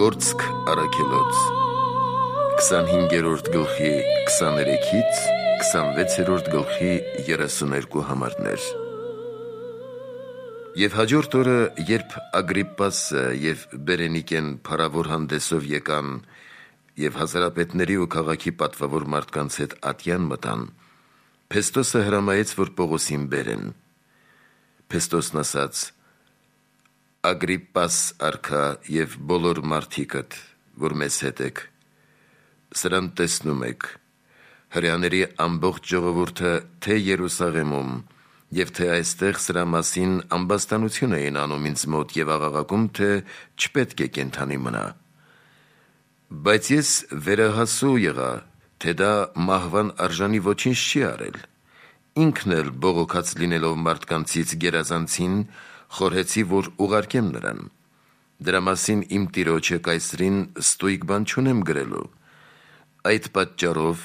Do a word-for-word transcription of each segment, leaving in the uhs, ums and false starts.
Գործք առաքելոց քսանհինգերորդ գլխի քսաներեքից քսանվեցերորդ գլխի երեսուներկու համարներ։ Եվ հաջորդ օրը, երբ Ագրիպպասը և Բերենիկեն փառավոր հանդեսով եկան և հազարապետների ու քաղաքի պատվավոր մարդկանց հետ ատյան մտան, Փեստոսը հրամայեց, որ Պողոսին բերեն։ Փեստոսն ասաց. «Ագրիպպաս արքա և բոլոր մարդիկդ, որ մեզ հետ եք, սրան տեսնում եք, հրեաների ամբողջ ժողովուրդը թե Երուսաղեմում և թե այստեղ սրա մասին ամբաստանություն էին անում ինձ մոտ և աղաղակում, թե չպետք է կենդանի մնա։ Բայց ես վերահասու եղա, թե դա մահվան արժանի ոչինչ չի արել։ Ինքն էլ բողոքած լինելով մարդկանցից գերազանցին, խորհեցի, որ ուղարկեմ նրան։ Դրա մասին իմ տիրոջը Կայսրին ստույգ բան չունեմ գրելու։ Այդ պատճառով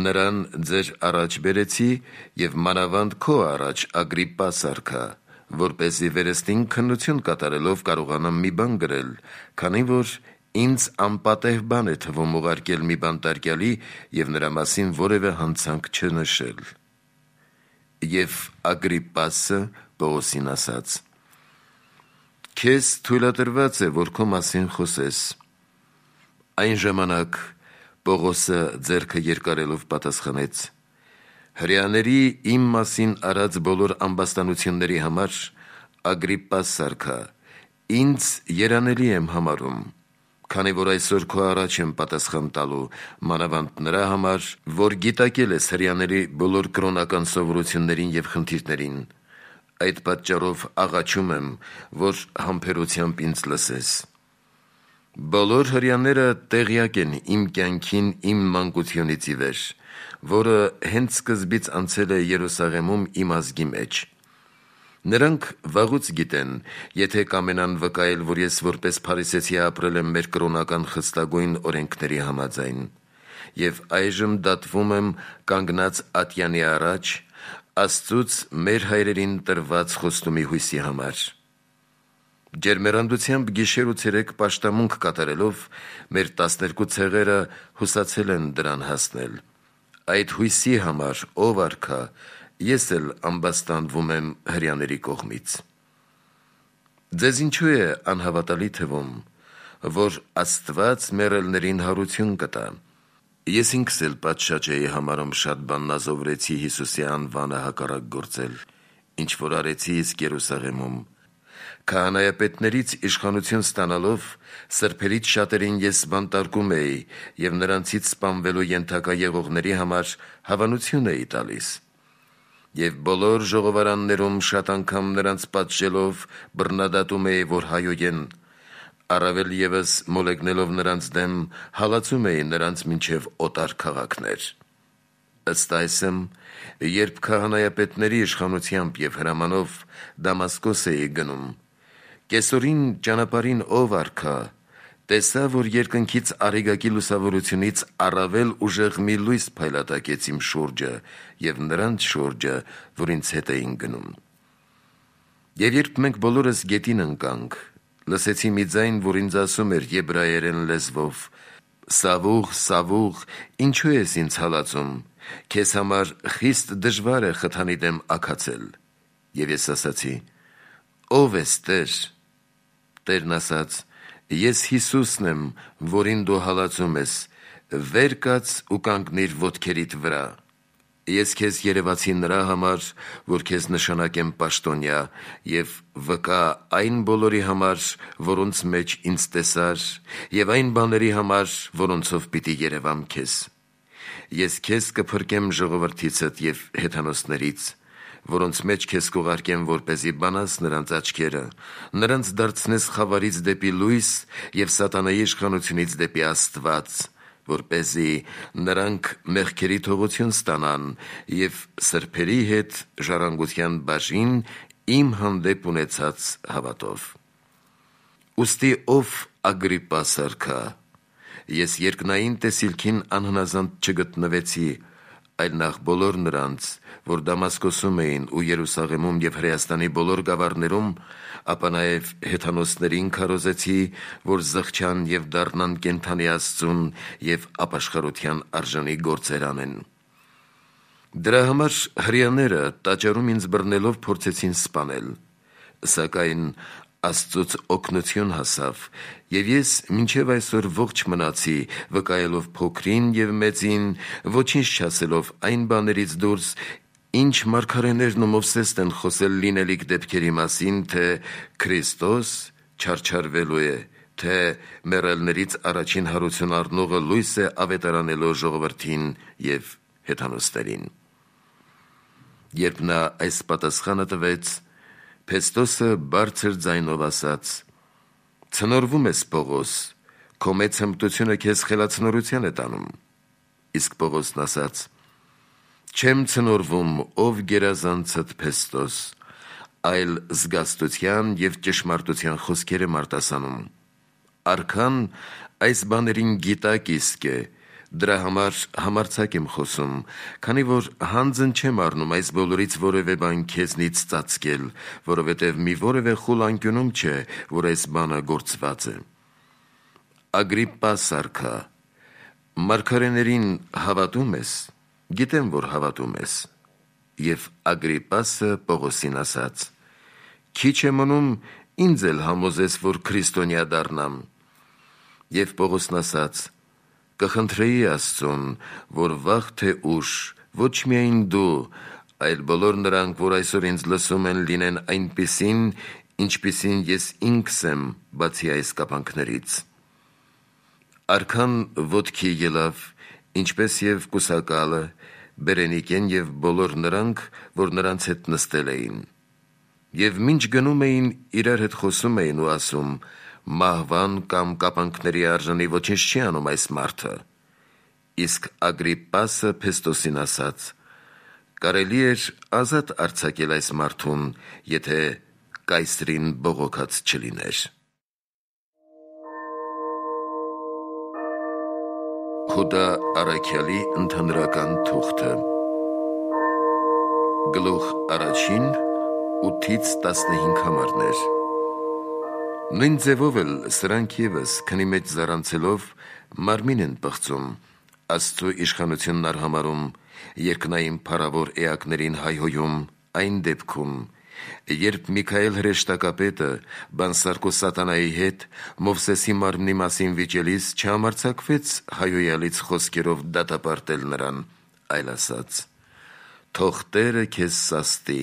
նրան ձեր առաջ բերեցի և մանավանդ քո առաջ, Ագրիպպաս արքա, որպեսզի վերստին քննություն կատարելով կարողանամ մի բան գրել, քանի որ ինձ անպատեհ բան է թվում ուղարկել մի բանտարկյալի և նրա մասին որևէ հանցանք չնշել»։ Եվ Ագրիպպասը Պողոսին ասաց. «Քեզ թույլատրված է, որ քո մասին խոսես»։ Այն ժամանակ Պողոսը ձեռքը երկարելով պատասխանեց. «Հրեաների իմ մասին արած բոլոր ամբաստանությունների համար, Ագրիպպաս արքա, ինձ երանելի եմ համարում, քանի որ այսօր քո առաջ եմ պատասխան տալու, մանավանդ նրա համար, որ գիտակել ես հրեաների բոլոր կրոնական սովորություններին և խնդիրներին։ Այդ պատճառով աղաչում եմ, որ համբերությամբ ինձ լսես։ Բոլոր հրեաները տեղյակ են իմ կյանքին իմ մանկությունից ի վեր, որը հենց սկզբից անցել է Երուսաղեմում իմ ազգի մեջ։ Նրանք վաղուց գիտեն, եթե կամենան վկայել, որ ես որպես փարիսեցի ապրել եմ մեր կրոնական խստագույն օրենքների համաձայն, և այժմ դատվում եմ կանգնած ատյանի առաջ, Աստծուց մեր հայրերին տրված խոստումի հույսի համար։ Ջերմեռանդությամբ գիշեր ու ցերեկ պաշտամունք կատարելով, մեր տասներկու ցեղերը հուսացել են դրան հասնել։ Այդ հույսի համար, ով արքա, ես էլ ամբաստանվում եմ հրեաների կողմից։ Ձեզ ինչու է անհավատալի թվում, որ Աստված մեռելներին հարություն կտա։ Ես ինքս էլ պատշաճ էի համարում շատ բան նազովրեցի Հիսուսի անվանը հակառակ գործել, ինչ որ արեցի իսկ Երուսաղեմում։ Քահանայապետներից իշխանություն ստանալով, սրբերից շատերին ես բանտարկում էի և նրանցից սպանվելու ենթակա եղողների համար հավանություն էի տալիս։ Եվ բոլոր ժողովարաններում շատ անգամ նրանց պատժելով բռնադատում էի, որ հայոյեն, առավել ևս մոլեգնելով նրանց դեմ, հալածում էի նրանց մինչև օտար քաղաքներ։ Ըստ այսմ, երբ քահանայապետների իշխանությամբ և հրամանով Դամասկոս էի գնում, կեսօրին ճանապարհին ով արքա, տեսա, որ երկնքից արեգակի լուսավորությունից առավել ուժեղ մի լույս փայլատակեց իմ շուրջը և նրանց շուրջը, որ ինձ հետ էին գնում։ Եվ երբ մենք բոլորս գետին ընկանք, լսեցի մի ձայն, որ ինձ ասում էր եբրայերեն լեզվով. «Սավուղ, Սավուղ, ինչու ես ինձ հալածում, քեզ համար խիստ դժվար է խթանի դեմ աքացել»։ Եվ ես ասացի. «Ո՞վ ես, Տեր»։ Տերն ասաց. «Ես Հիսուսն եմ, որին դու հալածում ես, վեր կաց ու կանգնիր ոտքերիդ վրա։ Ես քեզ երևացի նրա համար, որ քեզ նշանակեմ պաշտոնյա և վկա այն բոլորի համար, որոնց մեջ ինձ տեսար, և այն բաների համար, որոնցով պիտի երևամ քեզ։ Ես քեզ կփրկեմ ժողովրդիցդ և հեթանոսներից, որոնց մեջ քեզ կուղարկեմ, որպեսզի բանաս նրանց աչքերը, նրանց դարձնես խավարից դեպի լույս և սատանայի իշխանությունից դեպի Աստված, որպեսզի նրանք մեղքերի թողություն ստանան և սրբերի հետ ժառանգության բաժին իմ հանդեպ ունեցած հավատով։ Ուստի ով Ագրիպպաս արքա, ես երկնային տեսիլքին անհնազանդ չգտնվեցի, այլ նախ բոլոր նրանց, որ Դամասկոսում էին ու Երուսաղեմում և Հրեաստանի բոլոր գավառներում, ապա նաև հեթանոսներին քարոզեցի, որ զղջան և դառնան կենդանի Աստծուն և ապաշխարության արժանի գործեր անեն։ Դրա համար հրեաները տաճարում ինձ բռնելով փորձեցին սպանել, սակայն Աստծուց օգնություն հասավ, և ես մինչև այսօր ողջ մնացի, վկայելով փոքրին և մեծին, ոչինչ չասելով այն բաներից դուրս, ինչ մարգարեներն ու Մովսեսն են խոսել լինելիք դեպքերի մասին, թե Քրիստոս չարչարվելու է, թե մեռելներից առաջին հարություն առնողը լույս է ավետարանելով ժողովրդին և հեթանոսներին։ Երբ նա այս պատասխանը տվեց, Փեստոսը բարձր ձայնով ասաց. «Ցնորվում ես, Պողոս, քո մեծ հմտությունը քեզ խելացնորության է տանում»։ Իսկ Պողոսն ասաց. «Չեմ ցնորվում, ով գերազանցդ Փեստոս, այլ զգաստության և ճշմարտության խոսքեր եմ արտասանում։ Արքան այս բաներին գիտակ իսկ է, դրա համար համարձակ եմ խոսում, քանի որ հանձն չեմ առնում այս բոլորից որևէ բան քեզնից ծածկել, որովհետև մի որևէ խուլ անկյունում չէ, որ այս բանը գործված է։ Ագրիպպաս արքա, մարգարեներին հավատում ես, գիտեմ, որ հավատում ես։ Եվ Ագրիպպասը Պողոսին ասաց. Քիչ է մնում ինձ էլ համոզես, որ քրիստոնյա դառնամ։ Եվ Պողոսն ասաց. Կխնդրեի Աստծուն, որ վաղ թե ուշ ոչ միայն դու, այլ բոլոր նրանք, որ այսօր ինձ լսում են, լինեն այնպիսին, ինչպիսին ես ինքս եմ, բացի այս կապանքներից։ Արքան ոտքի ելավ, ինչպես և կուսակալը, Բերենիկեն և բոլոր նրանք, որ նրանց հետ նստել էին։ Եվ մինչ գնում էին, իրար հետ խոսում էին ու ասում. մահվան կամ կապանքների արժանի ոչինչ չի անում այս մարդը։ Իսկ Ագրիպպասը Փեստոսին ասաց. կարելի էր ազատ արձակել այս մարդուն, եթե կայսրին բողոքած չլիներ։ Հուդա Առաքյալի ընդհանրական թուղթը Գլուխ առաջին ութից տասնհինգ համարներ։ Նույն ձևով էլ սրանք ևս քնի մեջ զառանցելով մարմին են պղծում, Աստծու իշխանությունն արհամարում, երկնային փառավոր էակներին հայհոյում այն դեպքում, երբ Միքայել հրեշտակապետը բանսարկու սատանայի հետ Մովսեսի մարմնի մասին վիճելիս չհամարձակվեց հայհոյալից խոսքերով դատապարտել նրան, այլ ասաց. թող Տերը քեզ սաստի։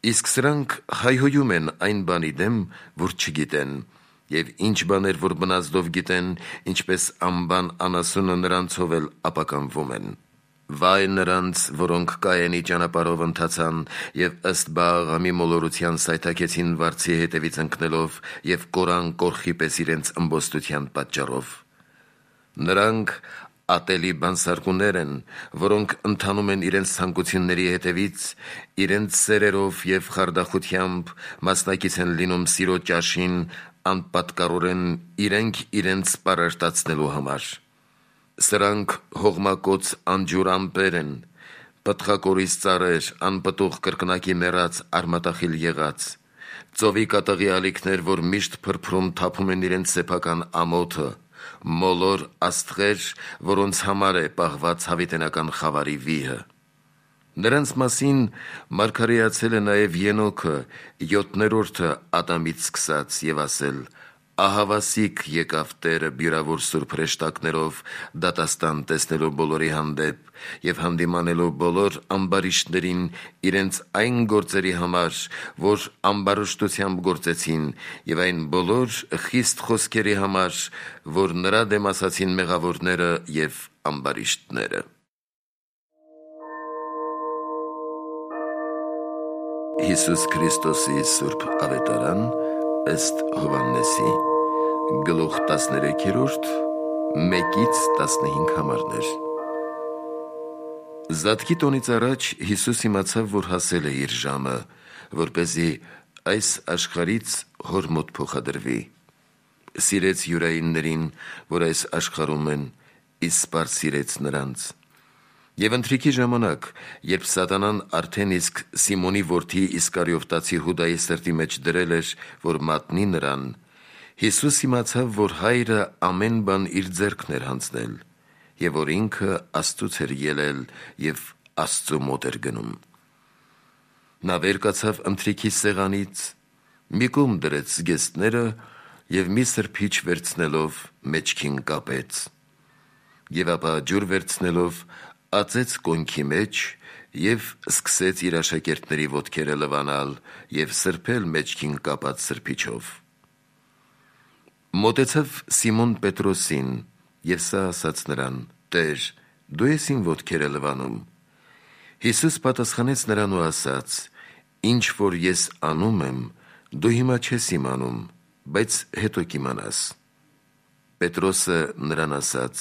Իսկ սրանք հայհոյում են այն բանի դեմ, որ չգիտեն, և ինչ բաներ, որ բնազդով գիտեն, ինչպես անբան անասունը նրանցով էլ ապականվում են։ Վայ նրանց, որոնք Կայենի ճանապարհով ընթացան և ըստ Բաղամի մոլորության սայթաքեցին վարձի հետևից ընկնելով և կորան կորխի պես իրենց ըմբոստության պատճառով։ Նրանք ատելի բանսարկուներ են, որոնք ընթանում են իրենց ցանկությունների հետևից, իրենց սերերով և խարդախությամբ մասնակից են լինում սիրո ճաշին, անպատկառորեն իրենք իրենց պարարտացնելու համար։ Սրանք հողմակոծ անջուր ամպեր են, պտղակորիզ ծառեր, անպտուղ կրկնակի մեռած արմատախիլ եղած, ծովի կատաղի ալիքներ, որ միշտ փրփրում թափում են իրենց սեփական ամոթը, մոլոր աստղեր, որոնց համար է պահված հավիտենական խավարի վիհը։ Նրանց մասին մարգարեացել է նաև Ենոքը, յոթներորդը Ադամից սկսած, և ասել. ահավասիկ եկավ Տերը բյուրավոր սուրբ հրեշտակներով դատաստան տեսնելու բոլորի հանդեպ և հանդիմանելու բոլոր ամբարիշտներին իրենց այն գործերի համար, որ ամբարշտությամբ գործեցին, և այն բոլոր խիստ խոսքերի համար, որ նրա դեմ ասացին մեղավորները և ամբարիշտները։ Հիսուս Քրիստոսի սուրբ ավետարան ըստ Հովհաննեսի, գլուխ տասներեքերորդ, մեկից տասնհինգ համարներ։ Զատկի տոնից առաջ Հիսուս իմացավ, որ հասել է իր ժամը, որպեսզի այս աշխարհից հոր մոտ փոխադրվի։ Սիրեց յուրայիններին, որ այս աշխարհում են, իսկ սիրեց նրանց։ Եվ ընթրիքի ժամանակ, երբ Սատանան արդեն իսկ Սիմոնի որդի Իսկարիովտացի Հուդայի սրտի մեջ դրել էր, որ մատնի նրան, Հիսուս իմացավ, որ Հայրը ամեն բան իր ձեռքն էր հանձնել, և որ ինքը Աստծուց էր ելել և Աստծու մոտ էր գնում։ Նա վեր կացավ ընթրիքի սեղանից, մի կողմ դրեց զգեստները և մի սրբիչ վերցնելով մեջքին կապեց, և ապա ջուր վերցնելով ածեց կոնքի մեջ և սկսեց իր աշակերտների ոտքերը լվանալ և սրբել մեջքին կապած սրբիչով։ Մոտեցավ Սիմոն Պետրոսին և սա ասաց նրան. «Տեր, դու ես իմ ոտքերը լվանում»։ Հիսուս պատասխանեց նրան ու ասաց. «Ինչ որ ես անում եմ, դու հիմա չես իմանում, բայց հետո կիմանաս»։ Պետրոսը նրան ասաց.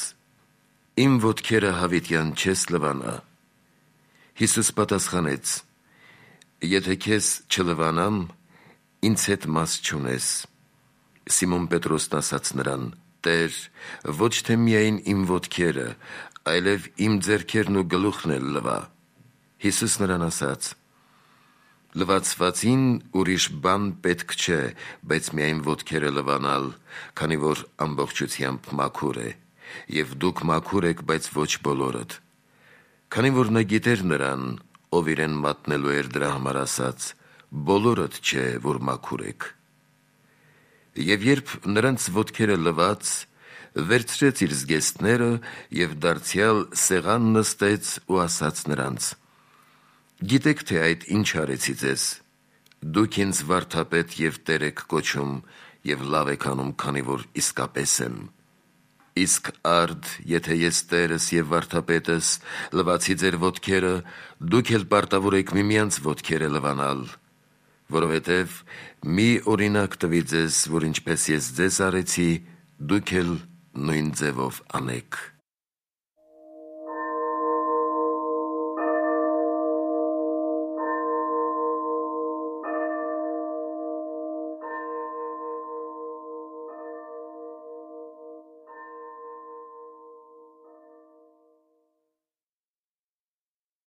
«Իմ ոտքերը հավիտյան չես լվանա»։ Հիսուս պատասխանեց. «Եթե քեզ չլվանամ, ինձ հետ մաս չունես»։ Սիմոն Պետրոսն ասաց նրան. «Տեր, ոչ թե միայն իմ ոտքերը, այլև իմ ձեռքերն ու գլուխն էլ լվա»։ Հիսուս նրան ասաց. «Լվացվածին ուրիշ բան պետք չէ, բայց միայն ոտքերը լվանալ, քանի որ ամբողջությամբ մաքուր է, և դուք մաքուր եք, բայց ոչ բոլորդ»։ Քանի որ նա գիտեր նրան, ով իրեն մատնելու էր, դրա համար ասաց. «Բոլորդ չէ, որ մաքուր եք»։ Եվ երբ նրանց ոտքերը լված, վերցրեց իր զգեստները և դարձյալ սեղան նստեց ու ասաց նրանց. «Գիտեք, թե այդ ինչ արեցի ձեզ. դուք ինձ վարդապետ և Տեր եք կոչում և լավ եք անում, քանի որ իսկապես եմ։ Իսկ արդ, եթե ես Տերս և վարդապետս լվացի ձեր ոտքերը, դուք էլ պարտավոր եք միմյանց ոտքերը լվանալ, որովհետև մի օրինակ տվի ձեզ, որ ինչպես ես ձեզ արեցի, դուք էլ նույն ձևով անեք»։